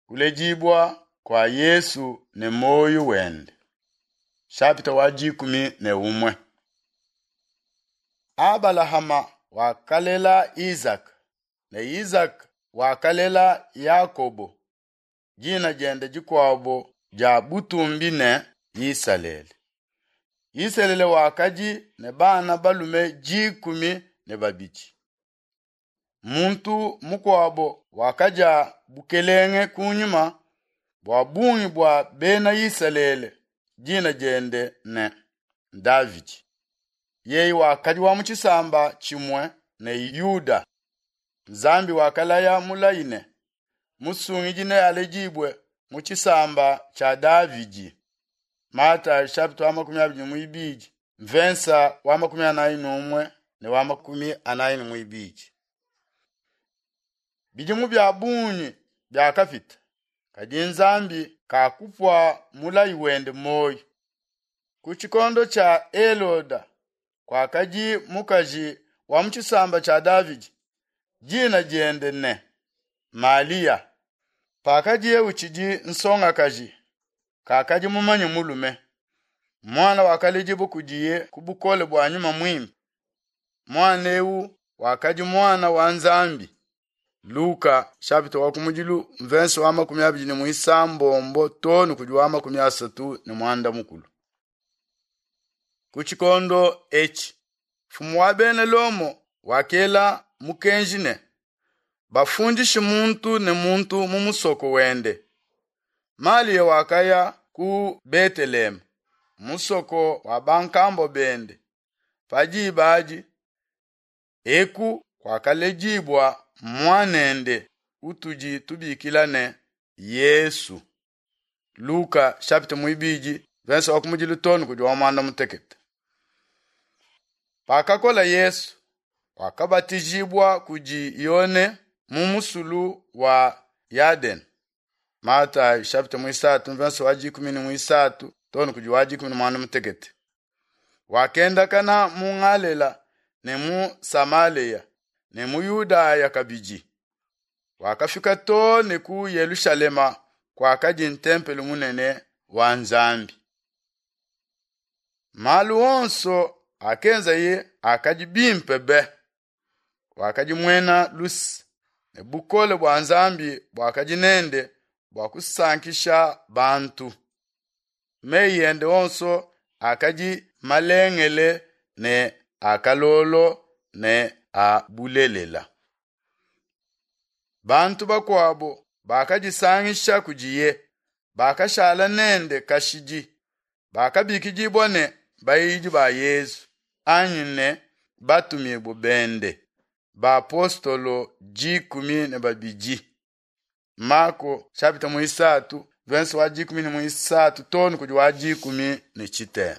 Kuledibua kua Yesu ne muoyo wende. Shapita wa 11. Abalahama wakalela Izaka ne Izaka wakalela Yakobo, dina diende dikuabo dia butumbi ne Isalele. Isalele wakadi ne bana balume 12. Muntu mukuabo wakadia bukelenge kunyima bua bungi bua bena Isalele, dina diende ne Davidi. Yeye wakadi wa mu tshisamba tshimue ne Yuda. Nzambi wakalaya mulayi ne musungidi nealedibue mu tshisamba tshia Davidi. Matayi chapitre wa 22 mvensa wa 41 ne wa 42. Bidimu bia bungi biakapita, kadi Nzambi kakupua mulayi wende muoyo. Ku tshikondo tshia Heloda kuakadi mukaji wa mu tshisamba tshia Davidi, dina diende ne Malia. Pakadiye utshidi nsongakaji, kakadi mumanye mulume. Muana wakaledibua kudiye ku bukole bua Nyuma Muimpe. Muana eu wakadi muana wa Nzambi. Luka chapitre wa kumudilu mvense wa 29 too ne kudi wa 34. Ku tshikondo etshi mfumu wa bena Lomo wakela mukenji ne bafundishe muntu ne muntu mu musoko wende. Malia wakaya ku Beteleheme, musoko wa bankambua bende. Pa diba adi eku kuakaledibua muanende utudi tubikila ne Yesu. Luka chapitre 2 verse wa kumudilu too ne kudi wa 16. Pakakola Yesu, wakabatijibua kudi Yone mu musulu wa Yadene. Matayi chapitre 3 verse wa 13 too ne kudi wa 16. Wakendakana mu Ngalela ne mu Samalea ne mu Yudaya kabidi. Wakafika too ne ku Yelushalema kuakadi ntempelo munene wa Nzambi. Malu onso akenzaye akadi bimpe be. Wakadi muena luse ne bukole bua Nzambi buakadi nende bua kusankisha bantu. Meyi ende onso akadi malengele ne a kalolo ne a bulelela. Bantu bakuabo bakadisangisha kudiye, bakashala nende kashidi, bakabikidibua ne bayidi ba Yezu anyi ne batumibue bende, bapostolo 12. Mako chapitre 3 verse wa 13 too ne kudi wa 13.